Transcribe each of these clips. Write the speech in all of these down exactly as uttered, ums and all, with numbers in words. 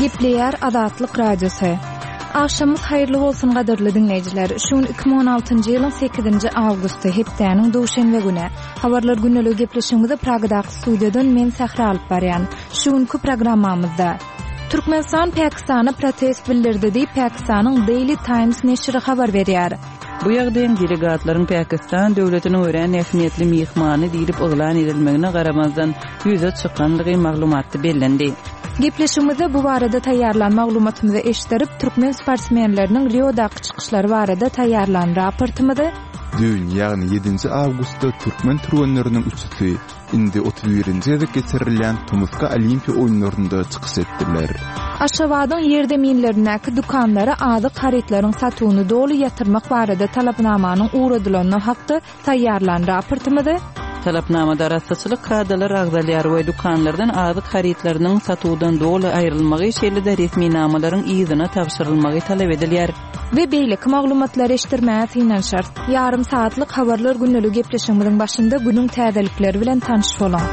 Gepleýär Azatlyk Radiosy. Agşamyňyz haýyrly bolsun gadyrly diňleýjiler. Şu gün iki müň on altynjy ýylyň sekizinji awgusty, hepdäniň duşenbe güni. Habarlar gündeligi gepleşigimizi Pragadaky studiýadan men Sähra alyp barýan. Şu günki programmamyzda Türkmenistan Pakistana protest bildirdi diýip Pakistanyň Daily Times neşiri habar berýär. Bu ýagdaýyň delegatlaryň Pakistan döwletiniň örän ähmiýetli myhmany diýlip yglan edilmegine garamazdan ýüze çykandygy maglumatda bellendi. Gepleşigimizde bu barada taýýarlan maglumatymyzy eşitdirip, türkmen sportsmenleriniň Riodaky çykyşlary barada taýýarlan raportymyzy Düýn, ýagny ýedinji awgustda türkmen türgenleriniň üçüsi indi otuz birinji gezek geçirilýän Tomusky Olimpiýa oýunlarynda çykyş etdiler. Aşgabadyň ýerzeminlerindäki dükanlara azyk harytlaryň satuwyny doly ýatyrmak barada talapnamanyň ugradylany hakda taýýarlan raportymyzy Talapnamada arassaçylyk kadalar agzalýar we dükanlardan azyk harytlarynyň satuwdan doly aýrylmagy, şeýle-de resminamalaryň yzyna tabşyrylmagy talap edilýär. We beýleki maglumatlary eşitdirmäge synanyşarys. Ýarym saatlyk habarlar gündeligi gepleşigimiziň başynda günüň täzelikleri bilen tanyş boluň.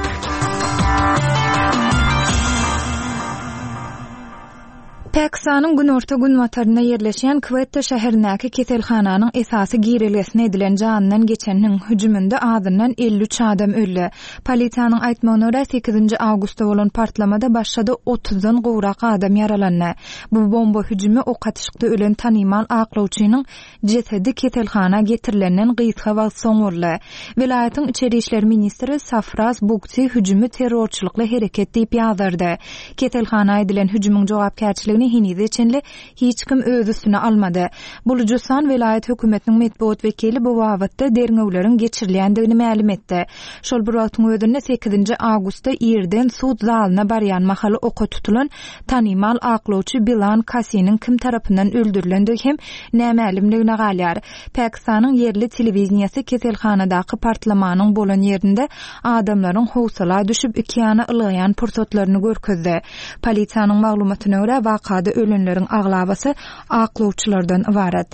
Pakistanyň günorta günbatarynda ýerleşýän Kwetta şäherindäki keselhananyň esasy girelgesine edilen janyndan geçeniniň hüjüminde azyndan elli üç adam öldi. Polisiýanyň aýtmagyna görä sekizinji awgustda bolan partlamada başga-da otuzdan gowrak adam ýaralandy. Bu bomba hüjümi ok atyşykda ölen tanymal aklawçynyň jesedi keselhana getirilenden gysga wagt soň boldy. Welaýatyň içeri işler ministri Safraz Bugti hüjümi terrorçylykly hereket diýip ýazardy. Keselhana edilen hüjümiň jogapkärçiligini henize çenli hiç kim öz üstüne almady. Bulujystan welaýat hökümetiniň metbugat wekili bu babatda derňewleriň geçirilýändigini mälim etdi. Şol bir wagtyň özünde sekizinji awgustda irden sud zalyna barýan mahaly oka tutulan tanymal aklawçy Bilan Kasiniň kim tarapyndan öldürilendigi hem nämälimligine galýar. Pakistanyň ýerli telewiziyası keselhanadaky partlamanyň bolan ýerinde adamlaryň howsala düşüp iki ýana ylgaýan pursatlaryny görkezdi. Polisiýanyň maglumatyna görä wakada ölenleriň aglabasy aklawçylardan ybarat.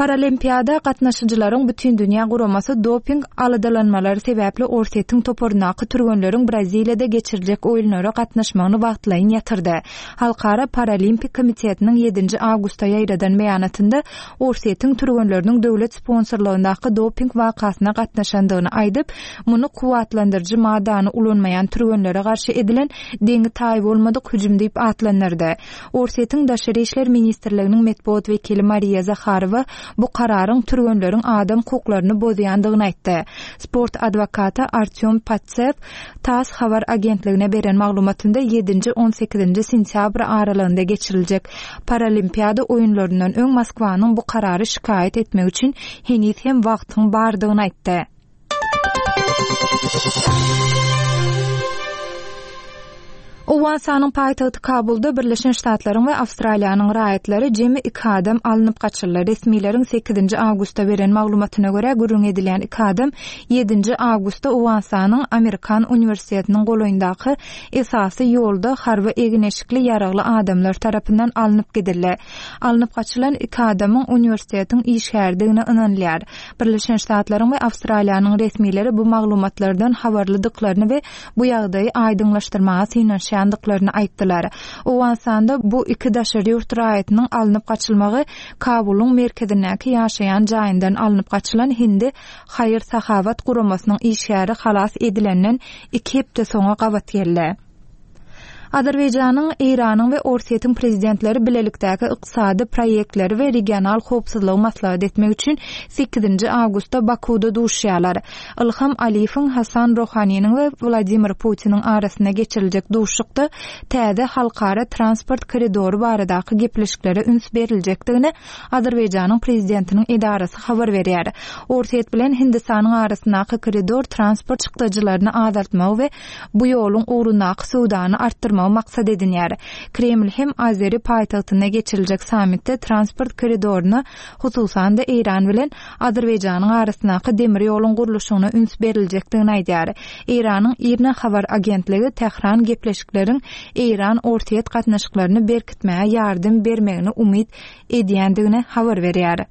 Paralimpiýada gatnaşyjylaryň bütün dünýä guramasy doping aladalanmalary sebäpli Orsýetiň toparyndaky türgenleriň Braziliýada geçiriljek oýunlara gatnaşmagyny wagtlaýyn ýatyrdy. Halkara Paralimpik komitetiniň ýedinji awgustda ýaýradan beýanatynda Orsýetiň türgenleriniň döwlet sponsorlygyndaky doping wakasyna gatnaşandygyny aýdyp, muny kuwwatlandyryjy maddany ulanmaýan türgenlere garşy edilen deňi taý bolmadyk hüjüm diýip atlandyrdy. Orsýetiň Daşary işler ministrliginiň metbugat wekili Mariya Zaharowa bu kararyň türgenleriň adam hukuklaryny bozýandygyny aýtdy. Sport adwokaty Artyom Patsev TASS habar agentligine beren maglumatynda ýedinji on sekizinji sentýabr aralygynda geçiriljek Paralimpiýada oýunlaryndan öň Moskwanyň bu karary şikaýat etmek üçin heniz hem wagtyň bardygyny aýtdy. Owganystanyň paýtagty Kabulda Birleşen Ştatlaryň we Awstraliýanyň raýatlary jemi iki adam alnyp gaçyldy. Resmileriň sekizinji awgustda beren maglumatyna görä gürrüň edilýän iki adam ýedinji awgustda Owganystanyň Amerikan uniwersitetiniň golaýyndaky esasy ýolda harby egin-eşikli ýaragly adamlar tarapyndan alnyp gidildi. Alnyp gaçylan iki adamyň uniwersitetiň işgärdigine ynanylýar. Birleşen Ştatlaryň we Awstraliýanyň resmileri bu maglumatlardan habarlydyklaryny we bu ýagdaýy aýdyňlaşdyrmaga synanyşýandyklaryny aýtdylar. Owganystanda bu iki daşary ýurt raýatynyň alnyp gaçylmagy Kabulyň merkezindäki ýaşaýan jaýyndan alnyp gaçylan Hindi Haýyr Sahabat guramasynyň işgäri halas edilenden iki hepde soňa gabat geldi. Azerbaýjanyň, Eýranyň we Orsýetiň prezidentleri bilelikdäki ykdysady proýektleri we regional howpsuzlygy maslahat etmek üçin sekizinji awgustda Bakuda duşýarlar. Ilham Aliýewiň, Hasan Rohaniniň we Wladimir Putiniň arasynda geçiriljek duşuşykda täze halkara transport koridory baradaky gepleşiklere üns beriljekdigini Azerbaýjanyň prezidentiniň edarasy habar berýär. Orsýet bilen Hindistanyň arasyndaky koridor transport çykdajylaryny azaltmagy we bu ýoluň ugrundaky söwdany artdyrmagy maksat edinýär. Kreml hem Azeri paýtagtynda geçiriljek sammitde transport koridoryna, hususan-da Eýran bilen Azerbaýjanyň arasyndaky demir ýoluň gurluşygyna üns beriljekdigini aýdýar. Eýranyň IRNA habar agentligi Tähran gepleşikleriň Eýran-Orsýet gatnaşyklaryny berkitmäge ýardam bermegini umyt edýändigini habar berýär.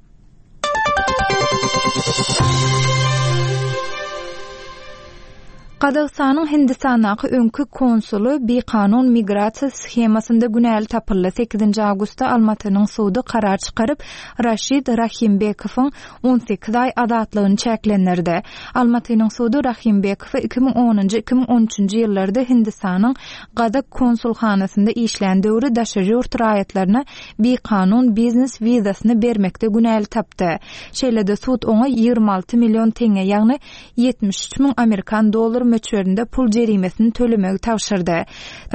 Gazagystanyň Hindistandaky öňki konsuly bikanun migrasiýa shemasynda günäli tapyldy. Sekizinji awgustda Almatynyň sudy karar çykaryp, Raşid Rahimbekowyň on sekiz aý azatlygyny çäklendirdi. Almatynyň sudy Rahimbekowy iki müň onunjy, iki müň on üçünji ýyllarda Hindistanyň gazak konsulhanasynda işlän döwri daşary ýurt raýatlaryna bikanun biznes wizasyny bermekde günäli tapdy. Şeýle-de sud oňa ýigrimi alty million teňňe, ýagny ýetmiş üç müň amerikan dollar möçberinde pul jerimesini tölemegi tabşyrdy.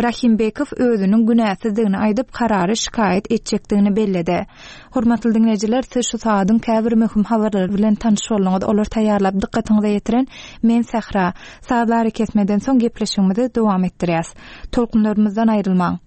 Rahimbekow özüniň günäsizdigini aýdyp, karary şikaýat etjekdigini belledi. Hormatly diňleýjiler, siz şu sagadyň käbir möhüm habarlary bilen tanyş bolduňyz. Olary taýýarlap dykgatyňyza ýetiren men Sähra. Sazly arakesmeden soň gepleşigimizi dowam etdirýäs. Tolkunlarymyzdan aýrylmaň.